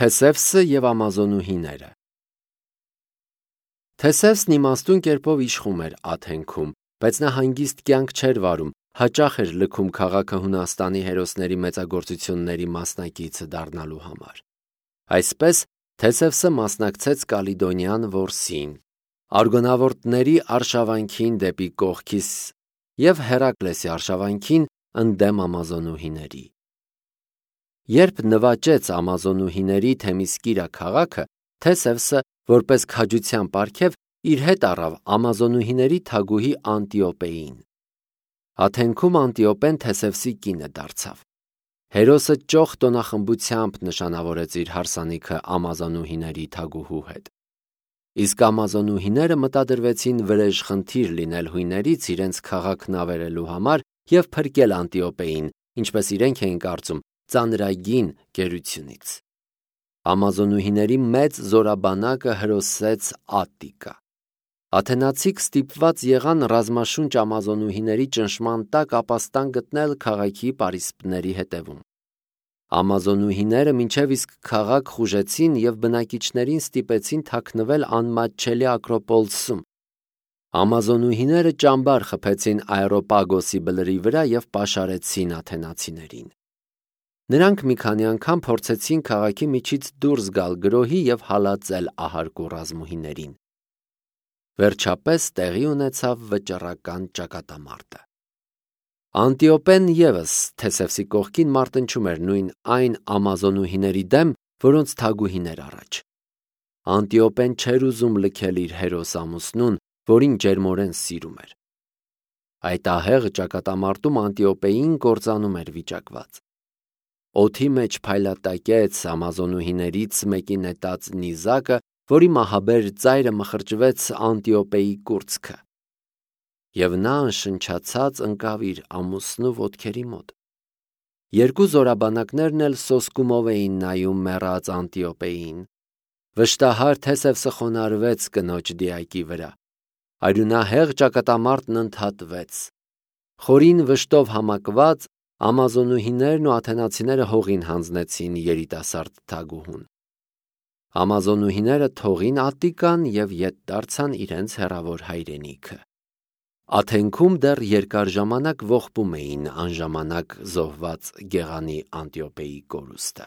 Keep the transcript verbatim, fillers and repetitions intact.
Թեսևսը և ամազոնուհիները։ Թեսևսն իմաստուն կերպով իշխում էր Աթենքում, բայց նա հանգիստ կյանք չէր վարում, հաճախ էր լքում քաղաքը Հունաստանի հերոսների մեծագործությունների մասնակիցը դառնալու համար։ Այսպես Թեսևսը մասնակցեց Կալիդոնյան որսին, Արգոնավորդների արշավանքին դեպի Կողքիս և Հերակլեսի արշավանքին ընդդեմ ամազոնուհիների։ Երբ նվաճեց ամազոնուհիների Թեմիսկիրա քաղաքը, Թեսևսը, որպես քաջության պարգև, իր հետ առավ ամազոնուհիների թագուհի Անտիոպեին։ Աթենքում Անտիոպեն Թեսևսի կինը դարձավ։ Հերոսը ճոխ տոնախմբությամբ նշանավորեց իր հարսանիքը ամազոնուհիների թագուհու հետ։ Իսկ ամազոնուհիները մտադրվեցին վրեժխնդիր լինել հույներից իրենց քաղաքն ավերելու համար և փրկել Անտիոպեին, ինչպես իրենք էին կարծում, ծանրագին գերությունից։ Ամազոնուհիների մեծ զորաբանակը հրոսեց Ատտիկա։ Աթենացիք ստիպված եղան ռազմաշունչ ամազոնուհիների ճնշման տակ ապաստան գտնել քաղաքի պարիսպների հետևում։ Ամազոնուհիները մինչև իսկ քաղաք խուժեցին և բնակիչներին ստիպեցին թաքնվել անմատչելի Ակրոպոլսում։ Ամազոնուհիները ճամբար խփեցին Աերոպագոսի բլրի վրա և պաշարեցին աթենացիներին։ Նրանք մի քանի անգամ փորձեցին քաղաքի միջից դուրս գալ գրոհի և հալածել ահարկու ռազմուհիներին։ Վերջապես տեղի ունեցավ վճռական ճակատամարտը։ Անտիոպեն ևս Թեսևսի կողքին մարտնչում էր նույն այն ամազոնուհիների դեմ, որոնց թագուհին էր առաջ։ Անտիոպեն չէր ուզում լքել իր հերոս ամուսնուն, որին ջերմորեն սիրում էր։ Այդ ահեղ ճակատամարտում Անտիոպեին կործանում էր վիճակված։ Օդի մեջ փայլատակեց ամազոնուհիներից մեկի նետած նիզակը, որի մահաբեր ծայրը մխրճվեց Անտիոպեի կուրծքը։ Եվ նա անշնչացած ընկավ իր ամուսնու ոտքերի մոտ։ Երկու զորաբանակներն էլ սոսկումով էին նայում մեռած Անտիոպեին։ Վշտահար Թեսևսը խոնարհվեց կնոջ դիակի վրա։ Արյունահեղ ճակատամարտն ընդհատվեց։ Խորին վշտով համակված ամազոնուհիներն ու աթենացիները հողին հանձնեցին երիտասարդ թագուհուն։ Ամազոնուհիները թողին Ատտիկան և ետ դարձան իրենց հեռավոր հայրենիքը։ Աթենքում դեռ երկար ժամանակ ողբում էին անժամանակ զոհված գեղանի Անտիոպեի կորուստը։